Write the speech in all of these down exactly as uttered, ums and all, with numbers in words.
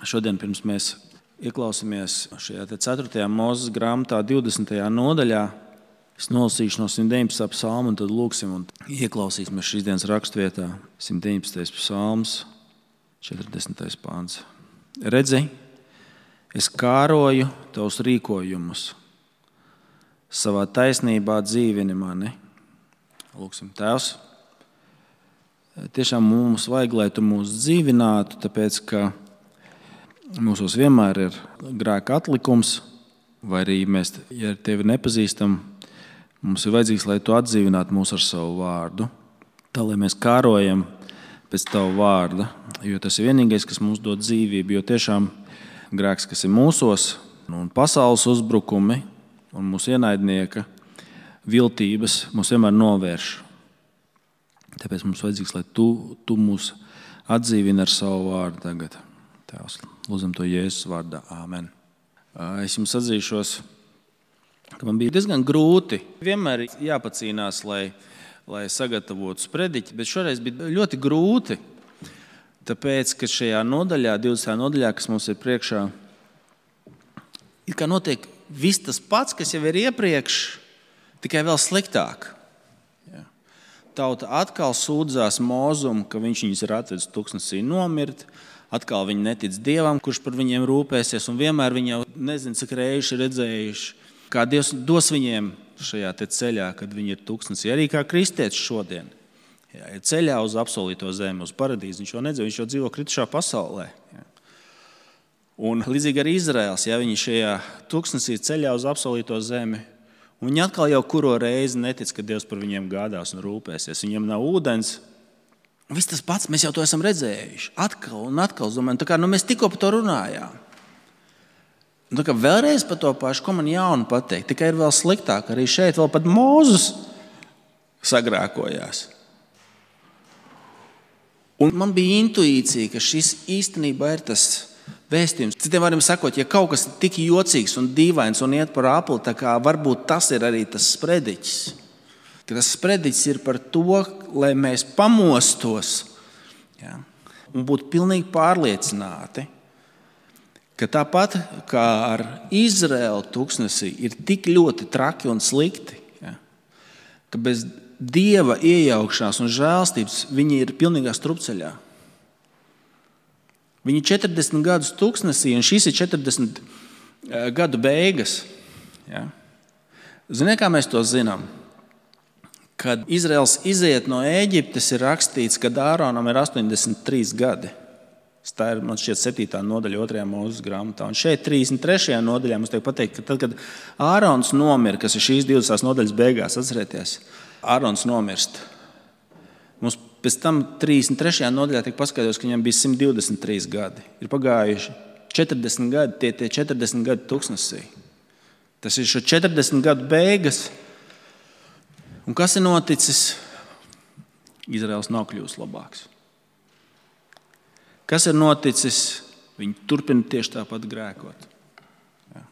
Šodien pirms mēs ieklausāmies šajā ceturtajā Mūzes grāmatā divdesmitajā nodaļā, es nolasīšu no simt deviņpadsmitā psalma un tad lūksim un ieklausīsimies šīs dienas rakstvietā. simt deviņpadsmitais psalms, četrdesmitais pāns. Redzi, es kāroju tavus rīkojumus, savā taisnībā dzīvini mani. Lūksim, Tēvs, tiešām mums vajag, lai tu mūs dzīvinātu, tāpēc, ka mūsos vienmēr ir grēka atlikums, vai arī mēs, ja tevi nepazīstam, mums ir vajadzīgs, lai tu atdzīvinātu mūs ar savu vārdu, tā, lai mēs kārojam pēc tavu vārda, jo tas ir vienīgais, kas mums dod dzīvību, jo tiešām grēks, kas ir mūsos, un pasaules uzbrukumi, un mūsu ienaidnieka viltības mūs vienmēr novērš. Tāpēc mums vajadzīgs, lai tu, tu mūs atdzīvini ar savu vārdu tagad. Tēvs, lūdzam to Jēzus vārdā. Āmen. Es jums atzīšos, ka man bija diezgan grūti. Vienmēr jāpacīnās, lai, lai sagatavotu sprediķi, bet šoreiz bija ļoti grūti. Tāpēc, ka šajā nodaļā, divdesmitajā nodaļā, kas mums ir priekšā, ir kā notiek viss tas pats, kas jau ir iepriekš, tikai vēl sliktāk. Ja. Tauta atkal sūdzās Mūzum, ka viņš viņus ir atvedis tuksnesī nomirt. Atkal viņi netic Dievam, kurš par viņiem rūpēsies, un vienmēr viņi jau nezinu, cik reizi redzējuši, kā Dievs dos viņiem šajā te ceļā, kad viņi ir tuksnesī. Arī kā kristietis šodien. Ja, ir ceļā uz apsolīto zemi, uz paradīzi. Viņš jau nedzīvo, viņš jau dzīvo kritušā pasaulē. Ja. Un līdzīgi arī Izraels, ja viņi šajā tuksnesī ceļā uz apsolīto zemi, un viņi atkal jau kuro reizi netic, ka Dievs par viņiem gādās un rūpēsies. Viņiem nav ūdens. Viss tas pats, mēs jau to esam redzējuši. Atkal un atkal, domājam, tā kā nu, mēs tikko par to runājām. Tā kā vēlreiz par to pašu, ko man jaunu pateikt, tikai ir vēl sliktāk. Arī šeit vēl pat Mūzes sagrēkojās. Un man bija intuīcija, ka šis īstenībā ir tas vēstījums. Citiem vārdiem sakot, ja kaut kas ir tik jocīgs un dīvains un iet par apli, tā kā varbūt tas ir arī tas sprediķis. Ka tas sprediķis ir par to, lai mēs pamostos, ja, un būtu pilnīgi pārliecināti, ka tāpat kā ar Izraēlu tuksnesī ir tik ļoti traki un slikti, ja, ka bez Dieva iejaukšanās un žēlstības viņi ir pilnīgā strupceļā. Viņi ir četrdesmit gadus tuksnesī, un šis ir četrdesmit gadu beigas. Ja. Ziniet, kā mēs to zinām? Kad Izraels iziet no Ēģiptes, ir rakstīts, ka Āronam ir astoņdesmit trīs gadi. Tā ir, man šķiet, septītā nodaļa otrajā Mūzes grāmatā. Un šeit trīsdesmit trešajā nodaļā mums tiek pateikt, ka tad, kad Ārons nomira, kas ir šīs divdesmitās nodaļas beigās, atcerieties, Ārons nomirst. Mums pēc tam trīsdesmit trešajā nodaļā tiek paskaidrots, ka viņam bija simt divdesmit trīs gadi. Ir pagājuši četrdesmit gadi, tie tie četrdesmit gadi tuksnesī. Tas ir šo četrdesmit gadu beigas. Un kas ir noticis? Izraels nav kļuvis labāks. Kas ir noticis? Viņi turpina tieši tāpat grēkot. Ja.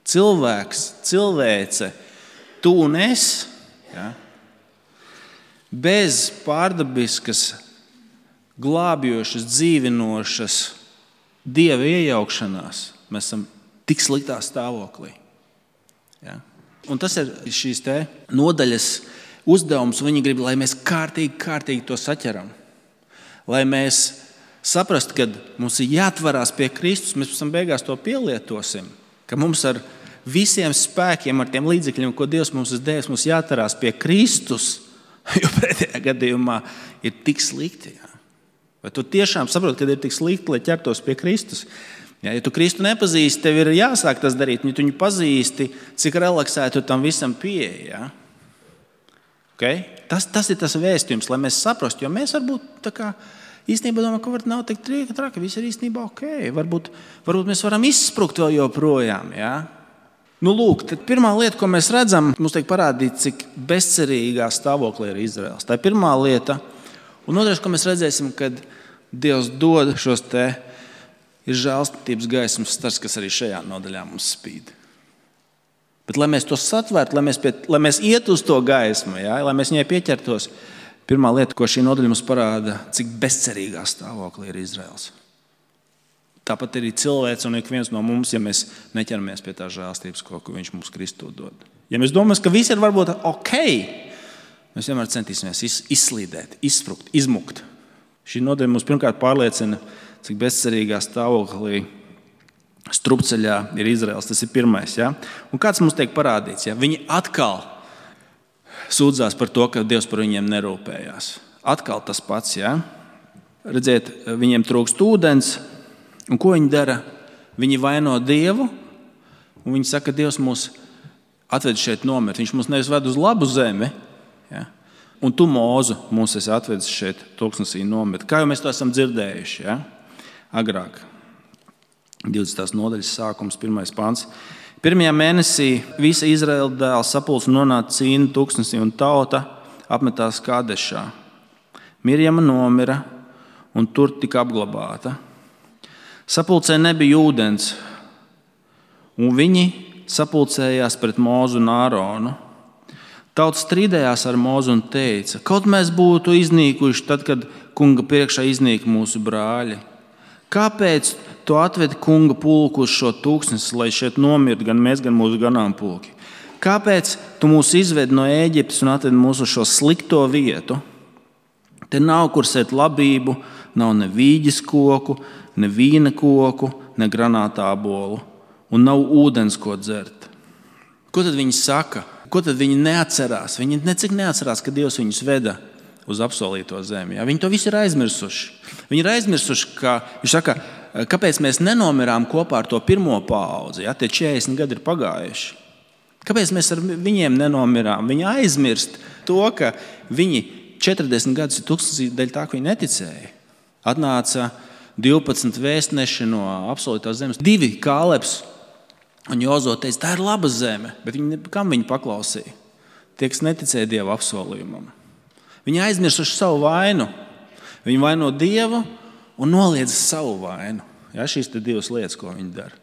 Cilvēks, cilvēce, tu un es, ja, bez pārdabiskas, glābjošas, dzīvinošas Dieva iejaukšanās, mēs esam tik sliktā stāvoklī. Ja. Un tas ir šīs te nodaļas uzdevums, un viņi grib, lai mēs kārtīgi, kārtīgi to saķeram. Lai mēs saprastu, ka mums ir jāatvarās pie Kristus, mēs pēc tam beigās to pielietosim, ka mums ar visiem spēkiem, ar tiem līdzekļiem, ko Dievs mums ir devis, mums jāatvarās pie Kristus, jo pretējā gadījumā ir tik slikti. Jā. Vai tu tiešām saproti, ka ir tik slikti, lai ķertos pie Kristus? Jā, ja tu Kristu nepazīsti, tev ir jāsāk tas darīt. Ja tu viņu pazīsti, cik relaksēti tu tam visam pieeja. Okay? Tas, tas ir tas vēstījums, lai mēs saprastu, jo mēs varbūt tā kā īstenībā domājam, ka varbūt nav tik traki, viss ir īstenībā ok. Varbūt, varbūt mēs varam izsprukt vēl joprojām, jā. Nu, lūk, tad pirmā lieta, ko mēs redzam, mums tiek parādīt, cik bezcerīgā stāvoklī ir Izraels. Tā ir pirmā lieta. Un otrais, ko mēs redzēsim, kad Dievs dod šos te ir žēlstības gaismas stars, kas arī šajā nodaļā mums spīd. Bet, lai mēs to satvērtu, lai mēs, pie, lai mēs iet uz to gaismu, jā, lai mēs viņai pieķertos, pirmā lieta, ko šī nodaļa mums parāda, cik bezcerīgā stāvoklī ir Izraels. Tāpat arī cilvēks un ik viens no mums, ja mēs neķeramies pie tā žēlstības, ko viņš mums Kristū dod. Ja mēs domājam, ka viss ir varbūt ok, mēs vienmēr centīsimies izslīdēt, izsprukt, izmukt. Šī nodaļa mums pirmkārt pārliecina, cik bezcerīgā stāvoklī strupceļā ir Izraels. Tas ir pirmais. Ja? Un kāds mums tiek parādīts? Ja? Viņi atkal sūdzās par to, ka Dievs par viņiem nerūpējās. Atkal tas pats. Ja? Redziet, viņiem trūkst ūdens. Un ko viņi dara? Viņi vaino Dievu, un viņi saka, ka Dievs mūs atved šeit nomirt. Viņš mūs nevis ved uz labu zemi, ja? Un tu, Mūzu, mūs esi atvedis šeit tūkstnesī nomirt. Kā jau mēs to esam dzirdējuši, ja? Agrāk. divdesmitās nodaļas sākums, pirmais pants. Pirmajā mēnesī visa Izraēla dēla sapulce nonāca Cīnu tūkstnesī, un tauta apmetās Kadešā. Mirjama nomira, un tur tika apglabāta. Sapulcē nebija ūdens, un viņi sapulcējās pret Mūzu un Āronu. Tauta strīdējās ar Mūzu un teica, kaut mēs būtu iznīkuši tad, kad kunga priekšā iznīka mūsu brāļi. Kāpēc tu atvedi kunga pulku uz šo tūkstnesi, lai šeit nomirtu gan mēs, gan mūsu ganāmpulki? Kāpēc tu mūs izvedi no Ēģiptes un atvedi mūs uz šo slikto vietu? Te nav kur sēt labību, nav ne vīģes koku, ne vīna koku, ne granātābolu, un nav ūdens, ko dzert. Ko tad viņi saka? Ko tad viņi neatcerās? Viņi necik neatcerās, ka Dievs viņus veda uz apsolīto zemi. Ja? Viņi to visu ir aizmirsuši. Viņi ir aizmirsuši, ka viņš saka, kāpēc mēs nenomirām kopā ar to pirmo paudzi? Ja? Tie četrdesmit gadi ir pagājuši. Kāpēc mēs ar viņiem nenomirām? Viņi aizmirst to, ka viņi četrdesmit gadus ir tūkstnesī dēļ tā, ka viņi neticēja. Atnāca divpadsmit vēstneši no apsolītās zemes. Divi Kālebs un Jozo teica, tā ir laba zeme, bet viņi, kam viņi paklausīja? Tie, kas neticēja Dieva apsolījumam. Viņi aizmirsuši savu vainu. Viņi vaino Dievu un noliedz savu vainu. Ja, šīs ir divas lietas, ko viņi dara.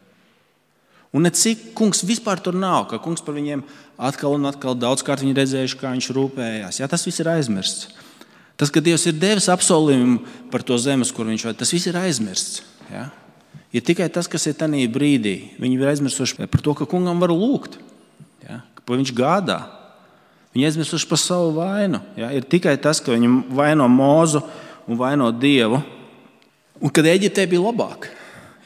Un necik kungs vispār tur nav, ka kungs par viņiem atkal un atkal daudzkārt viņi redzējuši, kā viņš rūpējās. Ja, tas viss ir aizmirsts. Tas, ka Dievs ir devis apsolījumu par to zemes, kur viņš vada, tas viss ir aizmirsts. Ja? Ir tikai tas, kas ir tajā brīdī. Viņi ir aizmirsuši par to, ka kungam var lūgt, ja? Ka viņš gādā. Viņi aizmirsuši par savu vainu. Ja? Ir tikai tas, ka viņi vaino Mūzu un vaino Dievu. Un kad Eģiptē bija labāk,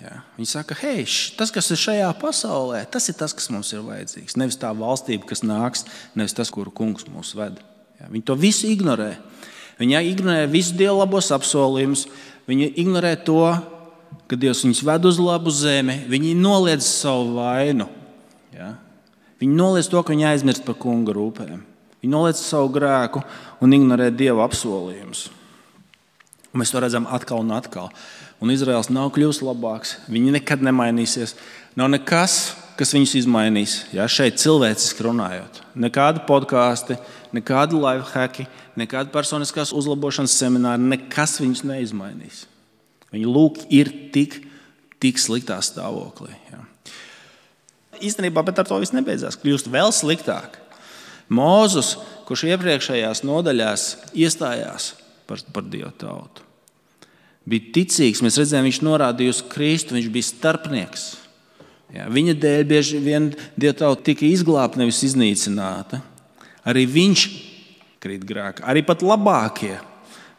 ja? Viņi saka, hei, tas, kas ir šajā pasaulē, tas ir tas, kas mums ir vajadzīgs. Nevis tā valstība, kas nāks, nevis tas, kuru kungs mūs ved. Ja? Viņi to visu ignorē. Viņi ignorē visu Dieva labos apsolījumus. Viņi ignorē to, ka Dievs viņus ved uz labu zemi. Viņi noliedz savu vainu. Ja? Viņi noliedz to, ka viņi aizmirst par kunga rūpēm. Viņi noliedz savu grēku un ignorē Dieva apsolījumus. Un mēs to redzam atkal un atkal. Un Izraels nav kļūst labāks. Viņi nekad nemainīsies. Nav nekas, kas viņus izmainīs. Ja? Šeit cilvēciski runājot. Nekādi podkāsti, nekādi lifehacki, nekāda personiskās uzlabošanas semināri, nekas viņus neizmainīs. Viņi lūk ir tik, tik sliktā stāvoklī. Ja. Īstenībā, bet ar to viss nebeidzās. Kļūst vēl sliktāk. Mūzus, kurš iepriekšējās nodaļās iestājās par, par Dievu tautu, bija ticīgs. Mēs redzējām, viņš norādīja uz Kristu, viņš bija starpnieks. Ja. Viņa dēļ bieži vien Dievu tauta tika izglābta, nevis iznīcināta. Arī viņš krīt grēkā. Arī pat labākie,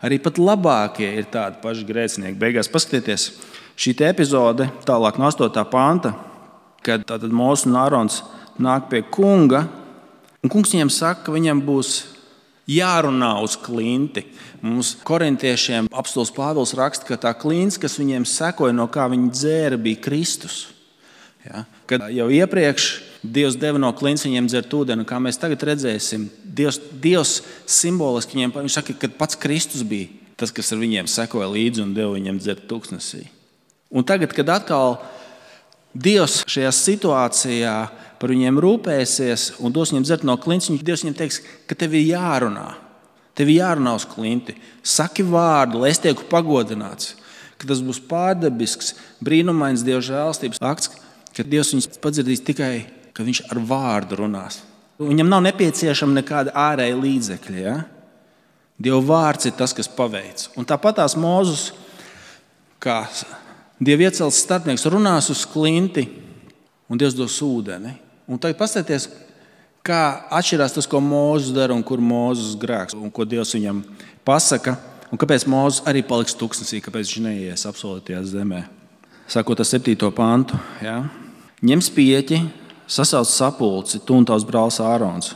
arī pat labākie ir tādi paši grēcinieki. Beigās paskatieties, šī epizode tālāk no astotā panta, kad tātad Mūzes un Ārons nāk pie kunga, un kungs viņiem saka, ka viņam būs jārunā uz klinti. Mums korintiešiem apostols Pāvils raksta, ka tā klints, kas viņiem sekoja, no kā viņi dzēra, bija Kristus. Ja? Kad jau iepriekš Dievs deva no klints viņiem dzert ūdeni, kā mēs tagad redzēsim, Dievs, Dievs simboliski viņiem, viņš saka, ka pats Kristus bija tas, kas ar viņiem sekoja līdzi un deva viņiem dzert tūkstnesī. Un tagad, kad atkal Dievs šajā situācijā par viņiem rūpēsies un dos viņiem dzert no klints, Dievs viņiem teiks, ka tev ir jārunā. Tev ir jārunā uz klinti. Saki vārdu, lai es tieku pagodināts. Ka tas būs pārdabisks, brīnumains Dieva žēlstības akts, ka Dievs viņus padzirdīs tikai, ka viņš ar vārdu runās. Viņam nav nepieciešama nekāda ārēja līdzekļa. Ja? Dieva vārds ir tas, kas paveic. Un tāpat tās Mūzus, kā Dieva iecelts starpnieks runās uz klinti, un Dievs dos ūdeni. Un tagad paskatieties, kā atšķirās tas, ko Mūzes dara un kur Mūzes grēks, un ko Dievs viņam pasaka, un kāpēc Mūzes arī paliks tuksnesī, kāpēc viņš neies apsolītajā zemē. Sākot ar septīto pantu. Ja? Ņem spieķi, sasauc sapulci, tu un tavs brālis Ārons,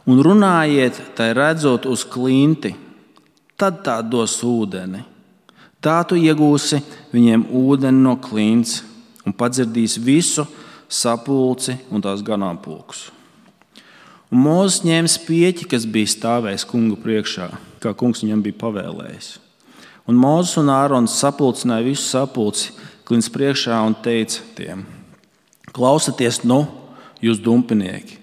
un runājiet, tai redzot uz klinti, tad tā dos ūdeni. Tā tu iegūsi viņiem ūdeni no klints un padzirdīs visu sapulci un tās ganāmpulkus. Un Mūzes ņēma spieķi, kas bija stāvējis kunga priekšā, kā kungs viņam bija pavēlējis. Un Mūzes un Ārons sapulcināja visu sapulci klints priekšā un teica tiem: Klausaties, nu, jūs dumpinieki,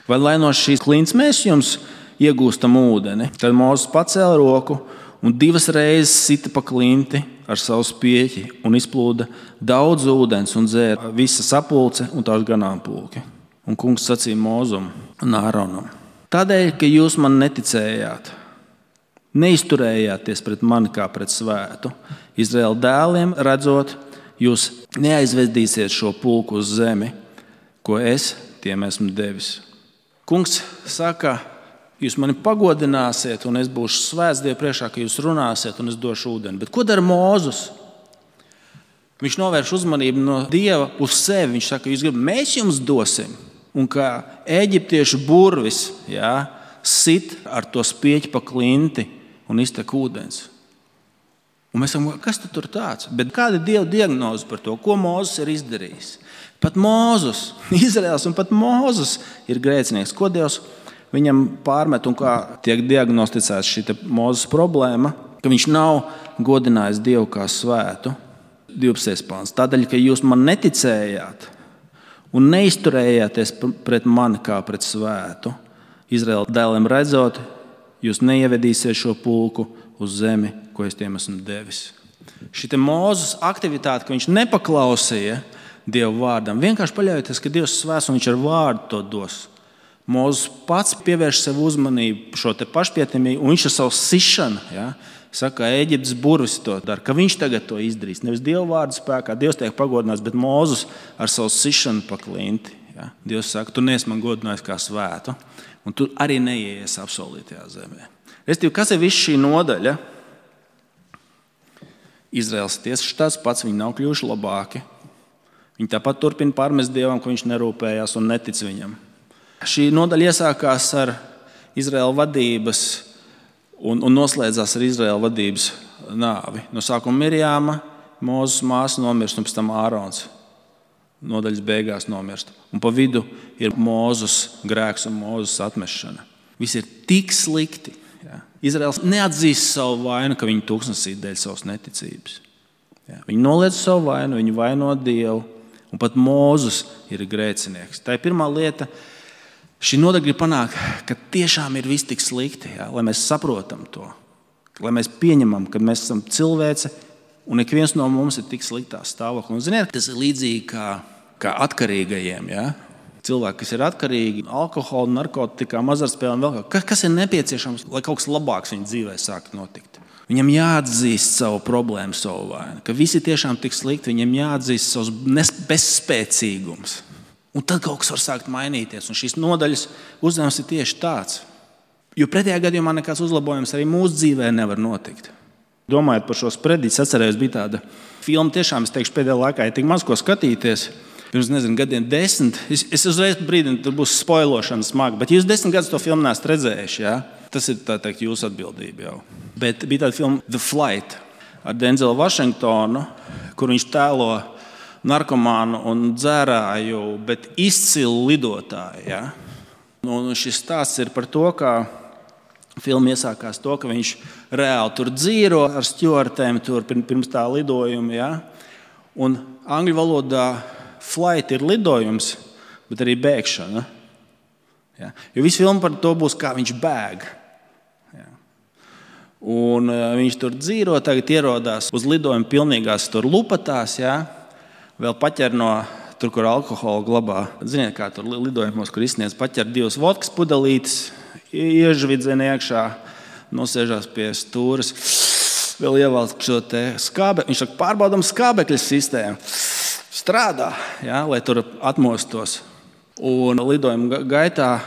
vai lai no šīs klints mēs jums iegūstam ūdeni? Tad Mūzes pacēla roku un divas reizes sita pa klinti ar savu spieķi un izplūda daudz ūdens un dzēra visa sapulce un tās ganāmpulki. Un kungs sacīja Mūzum un Āronam: Tādēļ, ka jūs man neticējāt, neizturējāties pret mani kā pret svētu, Izraēla dēliem redzot, jūs neaizvedīsiet šo pulku uz zemi, ko es tiem esmu devis. Kungs saka, jūs mani pagodināsiet, un es būšu svēts Dievu priekšā, ka jūs runāsiet, un es došu ūdeni. Bet ko dara Mūzes? Viņš novērš uzmanību no Dieva uz sevi. Viņš saka, jūs gribat, mēs jums dosim. Un kā eģiptiešu burvis, jā, sit ar to spieķi pa klinti un iztek ūdens. Un mēs sakām, kas tu tur tāds? Bet kāda ir Dieva diagnoze par to, ko Mūzes ir izdarījis? Pat Mūzes, Izraels un pat Mūzes ir grēcinieks. Ko Dievs viņam pārmet un kā tiek diagnosticēts šī Mūzes problēma, ka viņš nav godinājis Dievu kā svētu. divpadsmitais pāns. Tādēļ, ka jūs man neticējāt un neizturējāties pret mani kā pret svētu, Izraēla dēliem redzot, jūs neievedīsiet šo pulku uz zemi, ko es tiem esmu devis. Šī Mūzes aktivitāte, ka viņš nepaklausīja Dievu vārdam, vienkārši paļaujoties, ka Dievs svēts un viņš ar vārdu to dos. Mūzes pats pievērš sev uzmanību šo te pašpietimību, un viņš ar savu sišanu, ja, saka, Ēģiptes burvis to dara, ka viņš tagad to izdarīs. Nevis Dieva vārdu spēkā, Dievs tiek pagodināts, bet Mūzes ar savu sišanu pa klinti. Ja. Dievs saka, tu neesi man godinājis kā svētu, un tu arī neieies apsolītajā zemē. Restīvi, kas ir viss šī nodaļa? Izraels tiesas tāds pats, viņi nav kļuvuši labāki. Viņi tāpat turpina pārmest Dievam, ka viņš nerūpējās un netic viņam. Šī nodaļa iesākās ar Izraēla vadības un, un noslēdzās ar Izraēla vadības nāvi. No sākuma Mirjāma, Mūzes māsa nomirst, un pēc tam Ārons nodaļas beigās nomirst. Un pa vidu ir Mūzes grēks un Mūzes atmešana. Viss ir tik slikti. Ja. Izraēls neatzīst savu vainu, ka viņi tūkstnesī dēļ savas neticības. Ja. Viņi noliedz savu vainu, viņi vaino Dievu, un pat Mūzes ir grēcinieks. Tā ir pirmā lieta. Šī nodaļa grib panākt, ka tiešām ir viss tik slikti, ja, lai mēs saprotam to, lai mēs pieņemam, ka mēs esam cilvēce un ik viens no mums ir tik sliktā stāvoklī. Un, ziniet, tas ir līdzīgi kā, kā atkarīgajiem. Ja? Cilvēki, kas ir atkarīgi no alkohola, narkotikām, azartspēlēm, vēl kaut kas, kas ir nepieciešams, lai kaut kas labāks viņa dzīvē sāktu notikt. Viņam jāatzīst savu problēmu, savu vainu, ka visi tiešām tik slikti, viņam jāatzīst savs bezspēcīgums. Un tad kaut kas var sākt mainīties. Un šīs nodaļas uzdevums ir tieši tāds. Jo pretējā gadījumā nekāds uzlabojums arī mūsu dzīvē nevar notikt. Domājot par šo sprediķi, atcerējos, bija tāda filma, tiešām es teikšu, pēdējā laikā ir tik maz ko skatīties. Pirms, nezinu, gadiem desmit. Es, es uzreiz brīdinu, tur būs spoilošana smaga. Bet jūs desmit gadus to filmu neesat redzējuši, jā? Tas ir tā teikt jūsu atbildība jau. Bet bija tāda filma The Flight ar Denzelu Vašingtonu, kur viņš tēlo narkomānu un dzērāju, bet izcilu lidotāju. Ja? Un šis stāsts ir par to, kā filma iesākās to, ka viņš reāli tur dzīro ar stjuartēm tur pirms tā lidojuma. Ja? Un angļu valodā flight ir lidojums, bet arī bēgšana. Ja? Jo viss filma par to būs, kā viņš bēg. Ja? Un viņš tur dzīro, tagad ierodās uz lidojumu pilnīgās tur lupatās, ja? Vēl paķer no tur, kur alkoholu glabā. Ziniet, kā tur lidojumos, kur izsniedz paķer divas vodkas pudelītes, iežvidzen iekšā, nosēžās pie stūres vēl ievelk šo te skābe. Viņš saka, pārbaudam skābekļa sistēmu. Strādā, ja, lai tur atmostos. Un lidojuma gaitā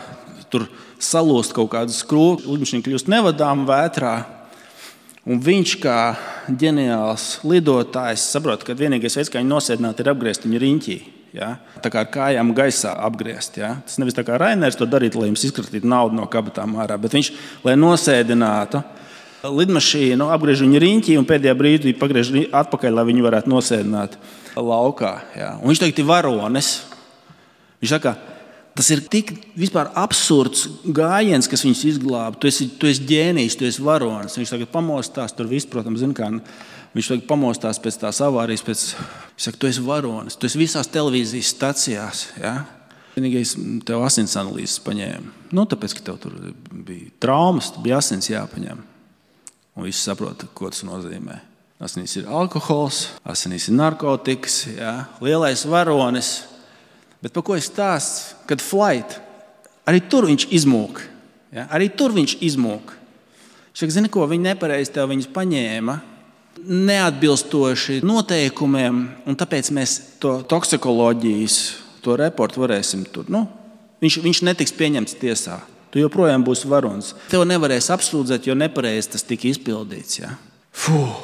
tur salūst kaut kādu skrūvi, lidmašīna kļūst nevadām vētrā. Un viņš, kā ģeniāls lidotājs, saprot, ka vienīgais veids, kā viņu nosēdināt, ir apgriezt viņu riņķī. Ja? Tā kā ar kājām gaisā apgriezt. Ja? Tas nevis tā kā Rainers to darītu, lai jums izkratītu naudu no kabatām ārā, bet viņš, lai nosēdinātu lidmašīnu, apgriež viņu riņķī un pēdējā brīdī pagriež atpakaļ, lai viņu varētu nosēdināt laukā. Ja? Un viņš tagad ir varonis. Viņš saka, tas ir tik vispār absurds gājiens, kas viņus izglāba. Tu esi, tu esi ģēnijs, tu esi varonis. Viņš tagad pamostās, tur viss, protams, zin kā, viņš tagad pamostās pēc tās avārijas, pēc, viņš saka, tu esi varonis, tu esi visās televīzijas stacijās. Ja? Vienīgais tev asins analīzes paņēma. Nu, tāpēc, ka tev tur bija traumas, bija asins jāpaņem. Un visi saprot, ko tas nozīmē. Asinīs ir alkohols, asinīs ir narkotikas, ja? Lielais varonis. Bet par ko es stāstu? Kad flight, arī tur viņš izmūk. Ja? Arī tur viņš izmūk. Viņš saka, zini ko, viņi nepareizi tev viņus paņēma, neatbilstoši noteikumiem, un tāpēc mēs to toksikoloģijas, to reportu varēsim tur. Nu, viņš, viņš netiks pieņemts tiesā. Tu joprojām būsi varonis. Tev nevarēs apsūdzēt, jo nepareizi tas tika izpildīts. Ja? Fuh.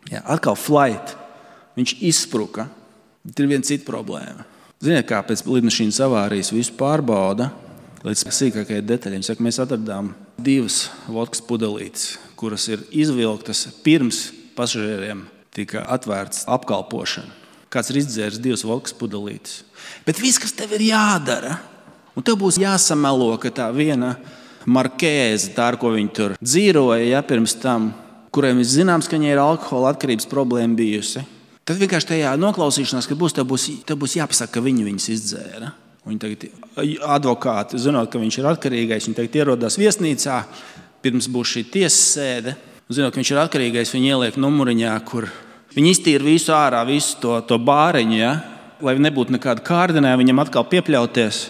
Ja, atkal flight. Viņš izspruka. Ir viena cita problēma. Ziniet, kā pēc lidmašīnas avārijas visu pārbauda līdz sīkākajai detaļai. Viņš saka, mēs atradām divas vodkas pudelītes, kuras ir izvilktas pirms pasažieriem tika atvērts apkalpošana. Kāds ir izdzēris divas vodkas pudelītes. Bet viss, kas tev ir jādara, un tev būs jāsamelo, ka tā viena markēze, tā, ar ko viņi tur dzīroja, ja, pirms tam, kuriem ir zināms, ka viņai ir alkohola atkarības problēma bijusi, tad vienkārši tajā noklausīšanās, kad būs, tev būs, tev būs jāpasaka, ka viņi viņas izdzēra. Viņi tagad advokāti, zinot, ka viņš ir atkarīgais, viņi tagad ierodās viesnīcā, pirms būs šī tiesas sēde, zinot, ka viņš ir atkarīgais, viņi ieliek numuriņā, kur viņi iztīra visu ārā, visu to, to bāriņu, ja, lai nebūtu nekāda kārdinē, viņam atkal piepļauties.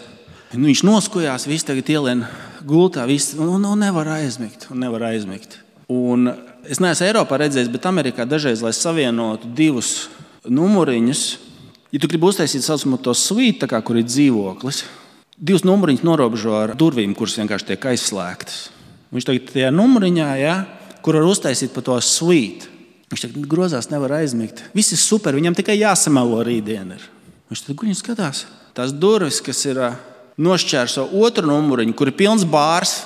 Nu, viņš noskojās, viss tagad ielien gultā, viss, un, un nevar aizmigt, un nevar aizmigt. Un es neesmu Eiropā redzējis, bet Amerikā dažreiz, lai savienotu divus numuriņus, ja tu gribi uztaisīt saucamo to suite, tā kā, kur ir dzīvoklis, divus numuriņus norobežo ar durvīm, kuras vienkārši tiek aizslēgtas. Viņš tagad tajā numuriņā, ja, kur var uztaisīt pa to suite, viņš tagad grozās, nevar aizmigt. Viss ir super, viņam tikai jāsamelo rītdien ir. Viņš tad guļ un skatās. Tās durvis, kas ir nošķērso otru numuriņu, kur ir pilns bārs,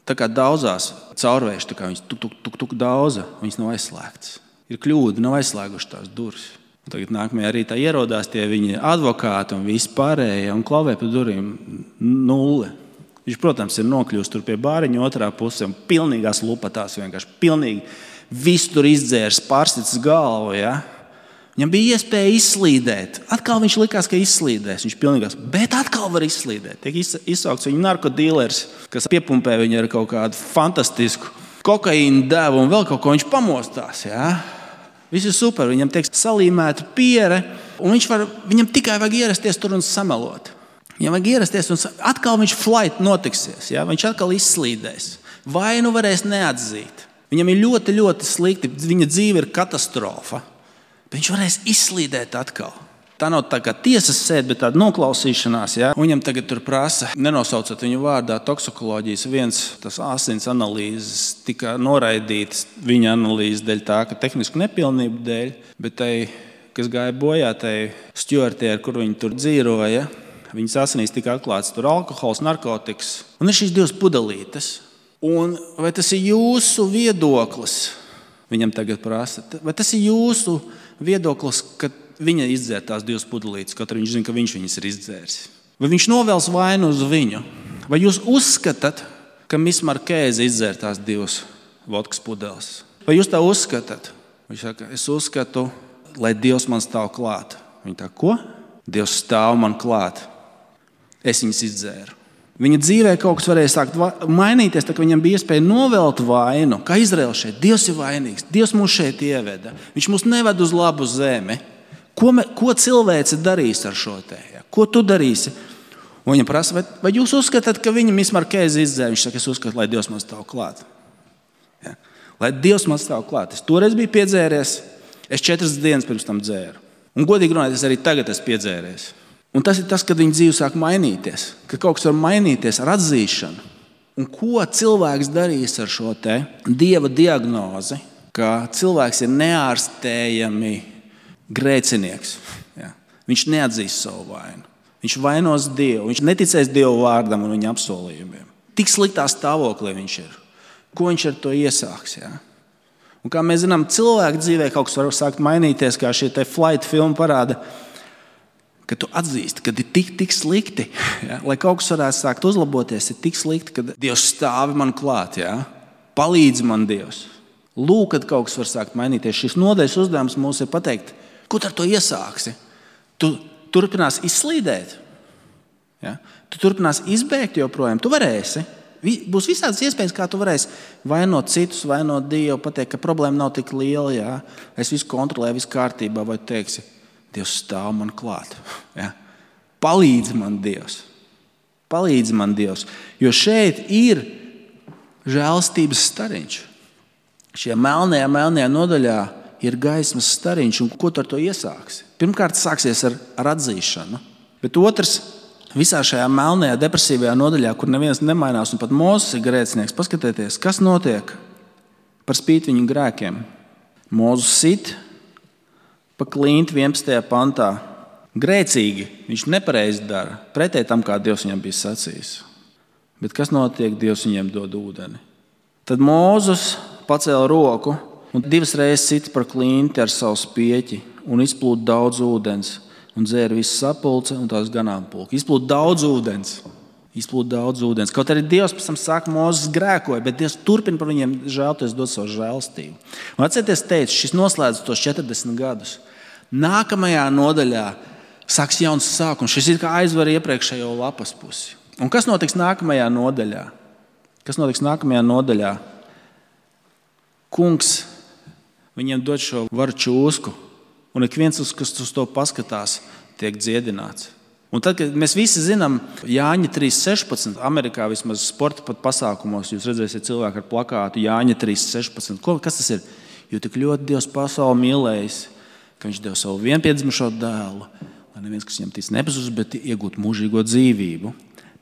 tā kā daudzās caurvējš, tā kā viņas tuk, tuk, tuk, tuk daudza, viņas nav aizslēgtas. Ir kļūda, nav aizslēguši tās durvis. Un tagad nākamajā rītā ierodās tie viņa advokāti un visi pārējie un klavē pa durvīm nulle. Viņš, protams, ir nokļūst tur pie bāriņa otrā pusē un pilnīgās lupatās vienkārši pilnīgi visu tur izdzērs, pārsits galvu, ja? Viņam bija iespēja izslīdēt. Atkal viņš likās, ka izslīdēs. Viņš pilnīgās, bet atkal var izslīdēt. Tiek izsaukts viņa narkodīlers, kas piepumpē viņu ar kaut kādu fantastisku kokaīnu devu un vēl kaut ko viņš pamostās. Ja? Viss ir super. Viņam tiek salīmēta piere un viņš var, viņam tikai vajag ierasties tur un samelot. Viņam vajag ierasties un atkal viņš flight notiksies. Ja? Viņš atkal izslīdēs. Vainu varēs neatzīt. Viņam ir ļoti, ļoti slikti. Viņa dzīve ir katastrofa. Bet viņš varēs izslīdēt atkal. Tā nav tā kā tiesas sēde, bet tāda noklausīšanās. Ja? Viņam tagad tur prasa, nenosaucot viņu vārdā, toksikoloģijas viens tas asins analīzes tika noraidītas viņa analīzes dēļ tā, ka tehnisku nepilnību dēļ, bet tai, kas gāja bojā, tai stjuartē, ar kur viņi tur dzīroja, viņas asinīs tika atklāts tur alkohols, narkotikas. Un ir šīs divas pudelītes. Un vai tas ir jūsu viedoklis? Viņam tagad prasa, vai tas ir jūsu viedoklis, ka viņa izdzer tās divas pudelītes, kaut arī viņš zina, ka viņš viņas ir izdzēris. Vai viņš novēls vainu uz viņu? Vai jūs uzskatāt, ka Miss Markēze izdzer tās divas vodkas pudeles? Vai jūs tā uzskatāt? Viņš saka, es uzskatu, lai Dievs man stāv klāt. Viņa tā, ko? Dievs stāv man klāt. Es viņas izdzēru. Viņa dzīvē kaut kas varēja sākt mainīties, tā ka viņam bija iespēja novelt vainu. Kā Izraēls šeit, Dievs ir vainīgs, Dievs mūs šeit ieveda. Viņš mūs neved uz labu zemi. Ko, me, ko cilvēce darīs ar šo te? Ja? Ko tu darīsi? Un viņa prasa, vai, vai jūs uzskatāt, ka viņa Miss Markēze izdzēra? Viņš saka, es uzskatu, lai Dievs man stāv klāt. Ja? Lai Dievs man stāv klāt. Es toreiz biju piedzēries, es četras dienas pirms tam dzēru. Un godīgi runājot, es arī tagad esmu piedzēries. Un tas ir tas, kad viņa dzīve sāk mainīties. Kad kaut kas var mainīties ar atzīšanu. Un ko cilvēks darīs ar šo te Dieva diagnozi, ka cilvēks ir neārstējami grēcinieks. Ja? Viņš neatzīs savu vainu. Viņš vainos Dievu. Viņš neticēs Dievu vārdam un viņa apsolījumiem. Tik sliktā stāvoklī viņš ir. Ko viņš ar to iesāks? Ja? Un kā mēs zinām, cilvēku dzīvē kaut kas var sākt mainīties, kā šie te Flight filmu parāda, ka tu atzīsti, ka ir tik, tik slikti. Ja? Lai kaut kas varētu sākt uzlaboties, ir tik slikti, ka Dievs stāvi man klāt. Ja? Palīdz man Dievs. Lūk, kad kaut kas var sākt mainīties. Šis nodaļas uzdevums mums ir pateikt, ko tu ar to iesāksi? Tu turpinās izslīdēt. Ja? Tu turpinās izbēgt joprojām. Tu varēsi. Būs visādas iespējas, kā tu varēsi vainot citus, vainot Dievu, pateikt, ka problēma nav tik liela. Ja? Es visu kontrolēju, visu kārtībā, vai teiksi, Dievs stāv man klāt. Ja? Palīdz man Dievs. Palīdz man Dievs. Jo šeit ir žēlstības stariņš. Šajā melnajā, melnajā nodaļā ir gaismas stariņš. Un ko tu ar to iesāksi? Pirmkārt, sāksies ar, ar atzīšanu. Bet otrs, visā šajā melnajā, depresīvajā nodaļā, kur neviens nemainās un pat Mūzes ir grēcinieks, paskatieties, kas notiek par spīti viņu grēkiem. Mūzes sit pa klinti vienpadsmitajā pantā. Grēcīgi viņš nepareizi dara, pretēji tam, kā Dievs viņam bija sacījis. Bet kas notiek? Dievs viņiem dod ūdeni. Tad Mūzes pacēla roku un divas reizes sit par klinti ar savu spieķi un izplūda daudz ūdens. Un dzēra visu sapulce un tās ganāmpulku. Izplūda daudz ūdens. Izplūda daudz ūdens. Kaut arī Dievs pēc tam saka, Mūzes grēkoja, bet Dievs turpina par viņiem žēlties, dod savu žēlstību. Un atcerieties, teicu, šis noslēdz tos četrdesmit gadus. Nākamajā nodaļā sāks jauns sākums. Šis ir kā aizver iepriekšējo lapas pusi. Un kas notiks nākamajā nodaļā? Kas notiks nākamajā nodaļā? Kungs viņiem dod šo varu čūsku. Un ik viens, kas uz to paskatās, tiek dziedināts. Un tad, kad mēs visi zinām, Jāņa trīs sešpadsmit, Amerikā vismaz sporta pat pasākumos, jūs redzēsiet cilvēku ar plakātu Jāņa trīs sešpadsmit. Ko, kas tas ir? Jo tik ļoti Dievs pasauli mīlējis, ka viņš deva savu vienpiedzimušo dēlu, lai neviens, kas viņam tic, nepazūst, bet iegūtu mūžīgo dzīvību.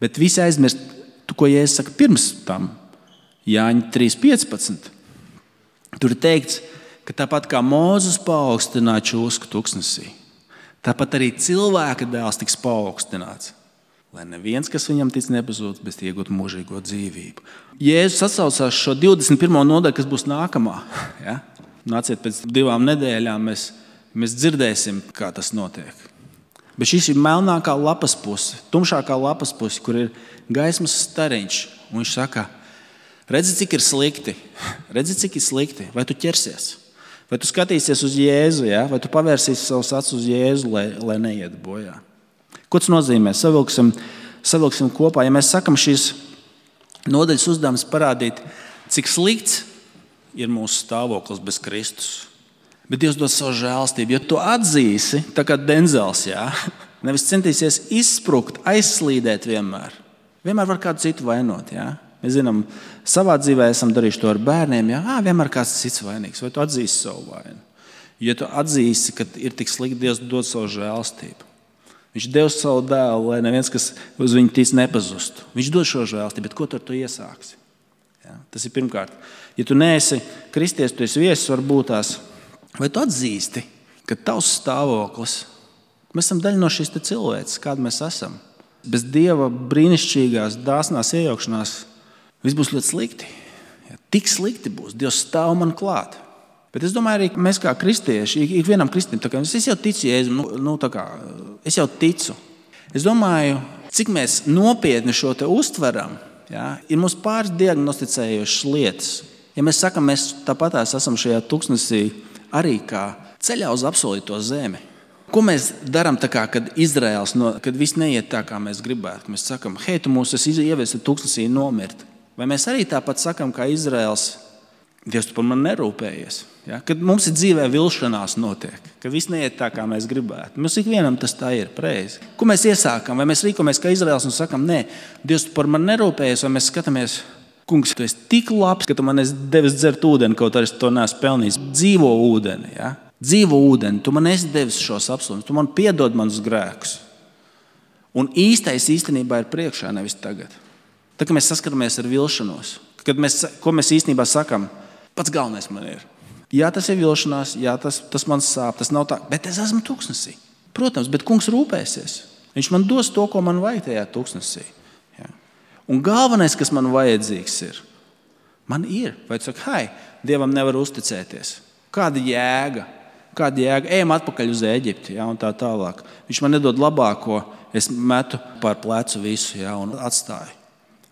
Bet visi aizmirst, tu, ko Jēzus saka pirms tam, Jāņa trīs piecpadsmit. Tur ir teikts, ka tāpat kā Mūzes paaugstināja čūsku tuksnesī, tāpat arī cilvēka dēls tiks paaugstināts, lai neviens, kas viņam tic, nepazūd, bet iegūtu mūžīgo dzīvību. Jēzus atsaucās šo divdesmit pirmo nodaļu, kas būs nākamā. Ja? Nāciet pēc divām nedēļām, mēs, mēs dzirdēsim, kā tas notiek. Bet šis ir melnākā lapas puse, tumšākā lapas puse, kur ir gaismas stariņš. Un viņš saka, redzi, cik ir slikti, redzi, cik ir slikti, vai tu ķersies? Vai tu skatīsies uz Jēzu, ja? Vai tu pavērsīsi savus acis uz Jēzu, lai, lai neiet bojā? Ko tas nozīmē? Savilksim, savilksim kopā. Ja mēs sakam šīs nodaļas uzdevums parādīt, cik slikts ir mūsu stāvoklis bez Kristus. Bet Dievs dod savu žēlstību. Ja tu atzīsi, tā kā Denzels, ja? Nevis centīsies izsprukt, aizslīdēt vienmēr. Vienmēr var kādu citu vainot, ja? Mēs zinām, savā dzīvē esam darījuši to ar bērniem. Jā, vienmēr kāds cits vainīgs. Vai tu atzīsi savu vainu? Ja tu atzīsi, ka ir tik slikti, Dievs dod savu žēlstību. Viņš devis savu dēlu, lai neviens, kas uz viņu tic, nepazustu. Viņš dod šo žēlstību, bet ko tu ar to iesāksi? Jā, tas ir pirmkārt. Ja tu neesi kristietis, tu esi viesis, varbūt tās, vai tu atzīsti, ka tavs stāvoklis, mēs esam daļa no šīs cilvēces, kāda mēs esam. Bez Dieva brīnišķīgās, dāsnās iejaukšanās viss būs ļoti slikti. Ja, tik slikti būs. Dievs stāv man klāt. Bet es domāju, arī mēs kā kristieši, ik vienam kristietim, tā kā es jau ticu Jēzum, nu, nu, tā kā, es jau ticu. Es domāju, cik mēs nopietni šo te uztveram, ja, ir mums pāris diagnosticējošas lietas. Ja mēs sakam, mēs tāpatās esam šajā tuksnesī arī kā ceļā uz apsolīto zemi. Ko mēs darām tā kā, kad Izraels, no, kad viss neiet tā, kā mēs gribētu? Mēs sakam, hei, tu mūs esi ievesti tuksnesī nomirt. Vai mēs arī tāpat sakam, kā Izraels, Dievs, tu par mani nerūpējies? Ja? Kad mums ir dzīvē vilšanās notiek, kad viss neiet tā, kā mēs gribētu. Mums ikvienam tas tā ir, preizi. Ko mēs iesākam? Vai mēs rīkojamies kā Izraels un sakam, nē, Dievs, tu par mani nerūpējies, vai mēs skatāmies, Kungs, tu esi tik labs, ka tu man esi devis dzert ūdeni, kaut arī es to neesmu pelnījis. Dzīvo ūdeni, ja? Dzīvo ūdeni, tu man esi devis šos apsolījumus, tu man piedod manus grēkus. Un īstais īstenībā ir priekšā, nevis tagad. Tā, kad mēs saskaramies ar vilšanos, kad mēs, ko mēs īstenībā sakam, pats galvenais man ir. Jā, tas ir vilšanās, jā, tas, tas man sāp, tas nav tā, bet es esmu tuksnesī. Protams, bet kungs rūpēsies. Viņš man dos to, ko man vajag tajā tuksnesī. Ja? Un galvenais, kas man vajadzīgs ir, man ir. Vai tu saki, hei, Dievam nevar uzticēties. Kāda jēga? Kāda jēga? Ejam atpakaļ uz Ēģipti, ja, un tā tālāk. Viņš man nedod labāko, es metu pār plecu visu, ja, un atstāju.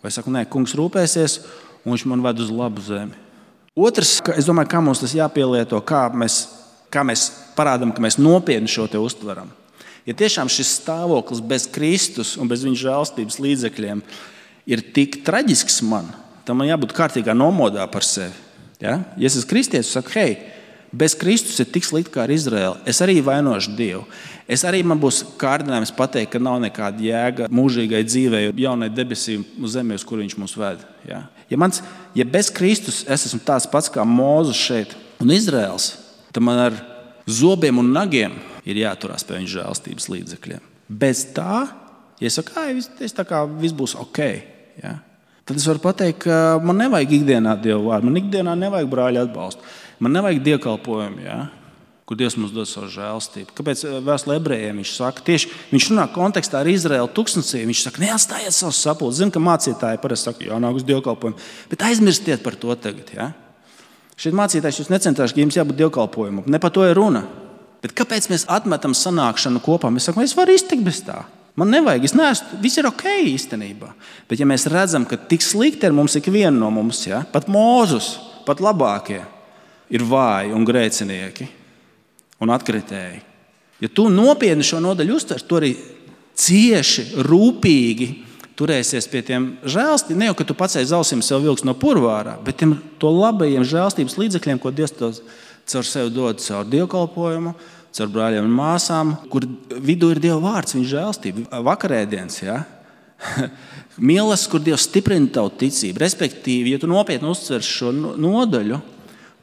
Vai saku, nē, kungs rūpēsies, un viņš man ved uz labu zemi. Otrs, es domāju, kā mums tas jāpielieto, kā mēs, kā mēs parādām, ka mēs nopietni šo te uztveram. Ja tiešām šis stāvoklis bez Kristus un bez viņa žēlstības līdzekļiem ir tik traģisks man, tad man jābūt kārtīgā nomodā par sevi. Ja, ja es esmu kristietis, saku, hei, bez Kristus ir tik slikti kā ar Izraēlu. Es arī vainošu Dievu. Es arī man būs kārdinājums pateikt, ka nav nekāda jēga mūžīgai dzīvei, jaunai debesīm uz zemi, uz kur viņš mūs ved. Ja? Ja, mans, ja bez Kristus es esmu tāds pats kā Mūzes šeit un Izraēls, tad man ar zobiem un nagiem ir jāturās pie viņa žēlstības līdzekļiem. Bez tā, ja es saku, ka tā kā viss būs ok, ja? Tad es varu pateikt, ka man nevajag ikdienā Dievu vārdu, man ikdienā nevajag brāļa atbalstu, man nevajag dievkalpojumu, ja? Kur Dievs mums dod savu žēlstību. Kāpēc vēstulē ebrejiem viņš saka, tieši viņš runā kontekstā ar Izraēlu tuksnesī, viņš saka, neatstājiet savus sapulces. Zinu, ka mācītāji parasti saka, jānāk uz dievkalpojumu, bet aizmirstiet par to tagad. Ja? Šeit mācītājs jūs necentāšu, ka jums jābūt dievkalpojumu. Ne par to ir runa. Bet kāpēc mēs atmetam sanākšanu kopā? Mēs sakam, es varu iztikt bez tā. Man nevajag, es neesmu, viss ir ok īstenībā. Bet ja mēs redzam, ka tik slikti ir mums ikviena no mums, ja? Pat Mūzus, pat labākie, ir vāji un grēcinieki un atkritēji. Ja tu nopietni šo nodaļu uztvers, tu arī cieši, rūpīgi turēsies pie tiem žēlstības, ne jau, ka tu pats aiz ausīm sev vilks no purvārā, bet tiem to labajiem žēlstības līdzekļiem, ko Dievs caur sevi dod, caur dievkalpojumu, caur brāļiem un māsām, kur vidū ir Dieva vārds, viņa žēlstība. Vakarēdienas, ja? Mīlestības, kur Dievs stiprina tavu ticību. Respektīvi, ja tu nopietni uztvers šo nodaļu,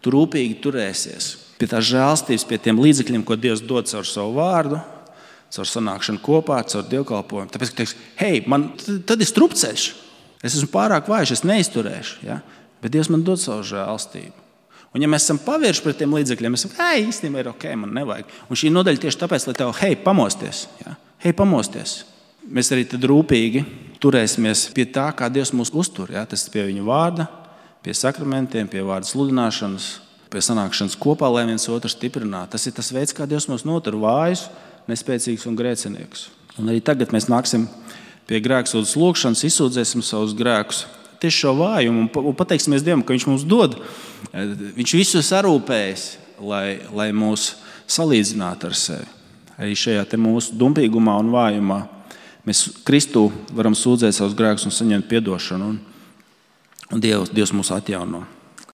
tu rūpīgi turēsies pie tās žēlstības, pie tiem līdzekļiem, ko Dievs dod caur savu vārdu, caur sanākšanu kopā, caur dievkalpojumu. Tāpēc, ka teiks, hei, man tad ir strupceļš. Es esmu pārāk vājš, es neizturēšu. Ja? Bet Dievs man dod savu žēlstību. Un ja mēs esam pavērši pret tiem līdzekļiem, mēs sakam, hei, īstenībā ir ok, man nevajag. Un šī nodaļa tieši tāpēc, lai tev, hei, pamosties. Ja? Hei, pamosties. Mēs arī tad rūpīgi turēsimies pie tā, kā Dievs mūs uztur. Ja? Tas ir pie viņa vārda, pie sakramentiem, pie vārda sludināšanas, pie sanākšanas kopā, lai viens otru stiprinātu. Tas ir tas veids, kā Dievs mūs notur vājus, nespēcīgus un grēciniekus. Un arī tagad mēs nāksim pie grēksūdzes lūgšanas, izsūdzēsim savus grēkus. Tieši šo vājumu un pateiksimies Dievam, ka viņš mums dod. Viņš visu sarūpējis, lai, lai mūs salīdzinātu ar sevi. Arī šajā te mūsu dumpīgumā un vājumā mēs Kristū varam sūdzēt savus grēkus un saņemt piedošanu. Un, un Dievs, Dievs mūs atjauno.